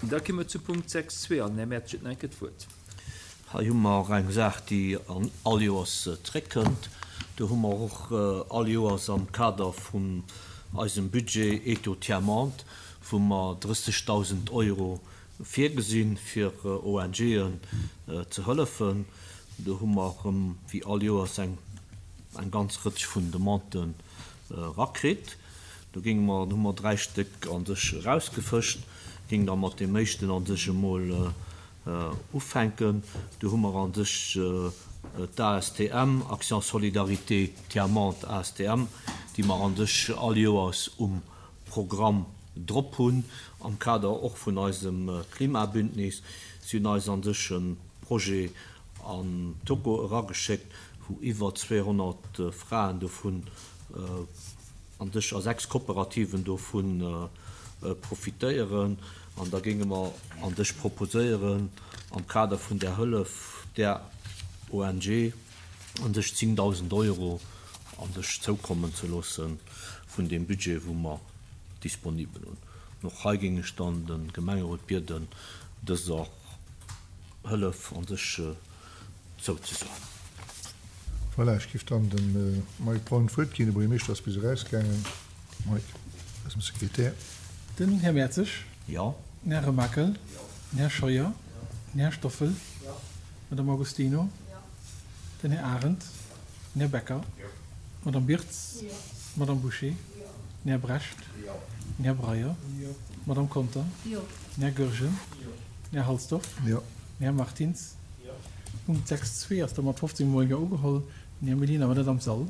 Da komme mer zu Punkt 6.2 an den Här Mertsch huet nach eng Kéier d'Wuert. Hei hu mer eng Saach, déi all Joers zréckkënnt. Do hu mer och all Joers am Kader vun eisem Budget Eto Tiers Monde, wou mer 30.000 Euro virgesinn, fir ONGen ze hëllefen. Do hu mer erëm wéi all Joers eng ganz Rëtsch vun Demanden erakritt. Do géinge mer, do hu mer 3 Stéck a sech erausgefëscht, géing da mat deem éischten a sech emol ufänken. Do hu mer a sech d'ASTM, Action Solidarité Tiers Monde ASTM, déi mer a sech all Joers um Programm drop hunn, am Kader och vun eisem Klimabündnis. Si hunn eis a sech e Projet an Togo erageschéckt, wou iwwer 200 Fraen dovun an sech a 6 Kooperativen dovu profitéieren. An da géinge mer an sech proposéieren, am Kader vun där Hëllef där ONG an sech 10.000 Euro an sech zoukommen ze loosse vun deem Budget, wou mer disponibel hunn. An och hei géing ech dann de Gemengerot bieden, dëser Hëllef an sech zouzesoen. Voilà, ech géif dann dem Mike Braun d'Wuert ginn. De Buergermeeschter ass bis erausgaangen. Mike, eisem Sekretär. Den Här Mertzig. Jo. Den Här Remakel. Den Här Scheuer. Den Här Stoffel. D'Madame Agostino. Den Här Arendt. Den Här Becker. D'Madame Birtz. D'Madame Bouché. Den Här Brecht. Den Här Breyer. D'Madame Conter. Den Här Goergen. Den Här Halsdorf. Den Här Martins. Punkt 6 zwee ass da mat 15 mol Jo ugeholl. Den Här Mellina war net am Sall.